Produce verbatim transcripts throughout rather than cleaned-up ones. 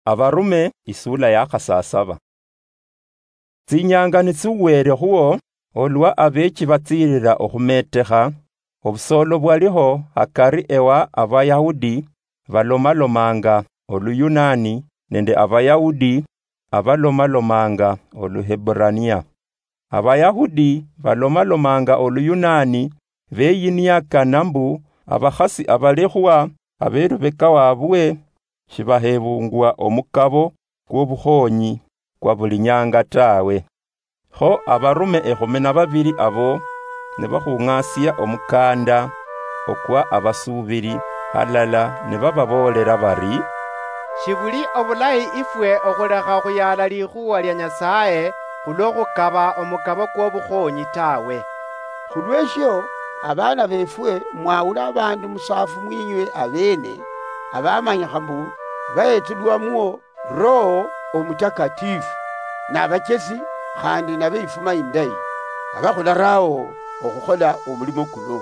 Abarume, isula ya khasasaba. Tsinyanga nitsiwerekhuo, olwa abeechi batsiirira okhumeetekha, obusoolo bwaliho hakari ewa Abayahudi balomalomanga Oluyunani nende Abayahudi abalomalomanga Oluheburania. Abayahudi balomalomanga Oluyunani beyiniakana mbu abakhasi abalekhwa abelubeka wabwe shibahebungwa omukabo kw'obukhonyi kwa buli nyanga tawe. Kho abarume ekhumi na babiri abo nibakhung'asia omukanda okwa abasuubiri halala nibababoolera bari, "Shibuli obulayi ifwe okhulekha okhuyaala likhuwa lia Nyasaye khulwo khukaba omukabo kw'obukhonyi tawe. Khulweshio, abaana befwe mwawula abandu musaafu mwinywe abeene, abamanyikha mbu bahetulwamwo Roho Omutakatifu, nabachesi khandi nabefuma indayi, abakhularao okhukhola omulimo kuno.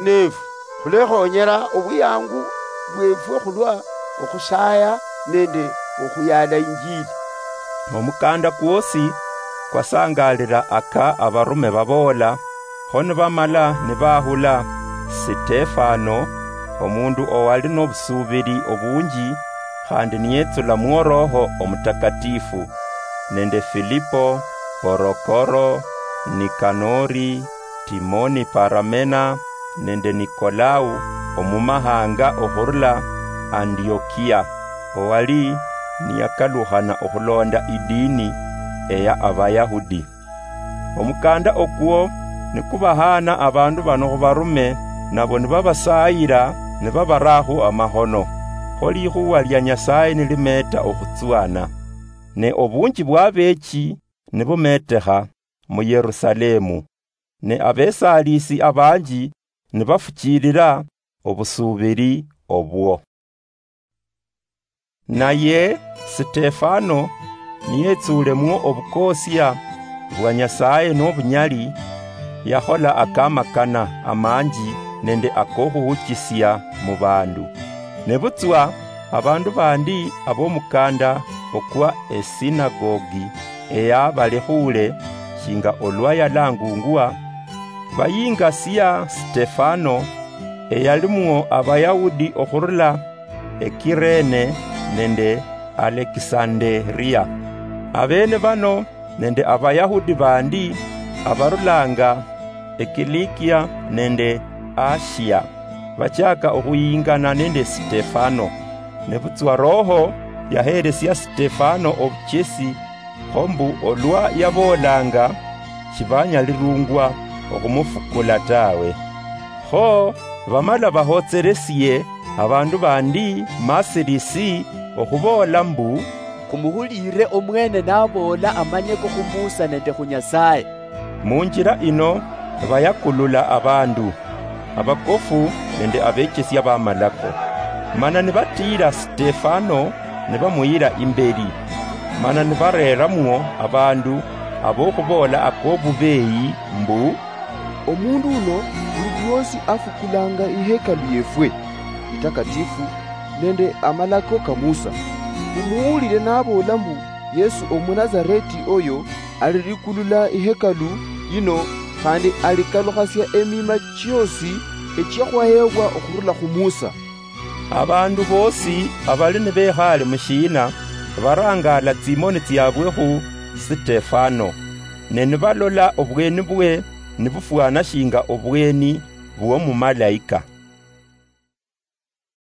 Nefu khulekhonyera obwiyangu bwefwe khulwa okhusaya nende okhuyaala Injili." Omukanda kwosi kwasangalira aka abarume baboola, kho nibamala nibahula Sitefano, omundu owali nobusuubiri obunji, khandi niyetsulamwo Roho Omutakatifu, nende Filipo, Porokoro, Nikanori, Timoni Paramena, nende Nikolau omumahanga okhurula Antiokia, owali niyakalukhana okhulonda idini eya Abayahudi. Omukanda okwo nikubahaana abandu bano khubarume, nabo nibabasayira nibabarakhu amahono, kho likhuwa lia Nyasaye nilimeeta okhutswana. Ne obunji bwabeechi nibumeetekha mu Yerusalemu, ne abesalisi abanji nibafuchilira obusuubiri obwo. Naye Sitefano niyetsulemwo obukoosia bwa Nyasaye nobunyali, yakhola akamakana amanji nende akokhuhuchisia mu bandu. Nebutswa abandu bandi abomukanda okwa esinagogi eya Balekhuule, shinga olwa yalangungwa, bayingasia Sitefano, eyalimwo Abayahudi okhurula Ekirene nende Alekisanderia. Abene bano nende Abayahudi bandi abarulanga Ekilikia nende Asia bachaka okhuyingana nende Sitefano. Nebutswa Roho yaheresia Sitefano obuchesi, kho mbu olwa yaboolanga, shibanyalirungwa okhumufukula tawe. Kho bamala bahotseresie abandu bandi masirisi okhuboola mbu, "Khumuhulire omwene naboola amanyeko khu Musa nende khu Nyasaye." Munjira ino bayakulula abandu, abakofu nende abechesia bamalako, mana nibatiira Sitefano nibamuyira imberi, mana nibareramwo abandu abokhuboola akobubeeyi mbu, "Omundu uno buli lwosi afukulanga ihekalu yefwe itakatifu nende amalako ka Musa. Mumuwulire naboola mbu Yesu Omunazareti oyo alirikulula ihekalu yino, khandi alikalukhasia emima chiosi echia khwahebwa okhurula khu Musa." Abandu bosi abali nibekhaale mushiina barangaala tsimoni tsiabwe khu Sitefano, ne nibalola obweni bwe nibufwana shinga obweni bw'omumalaika.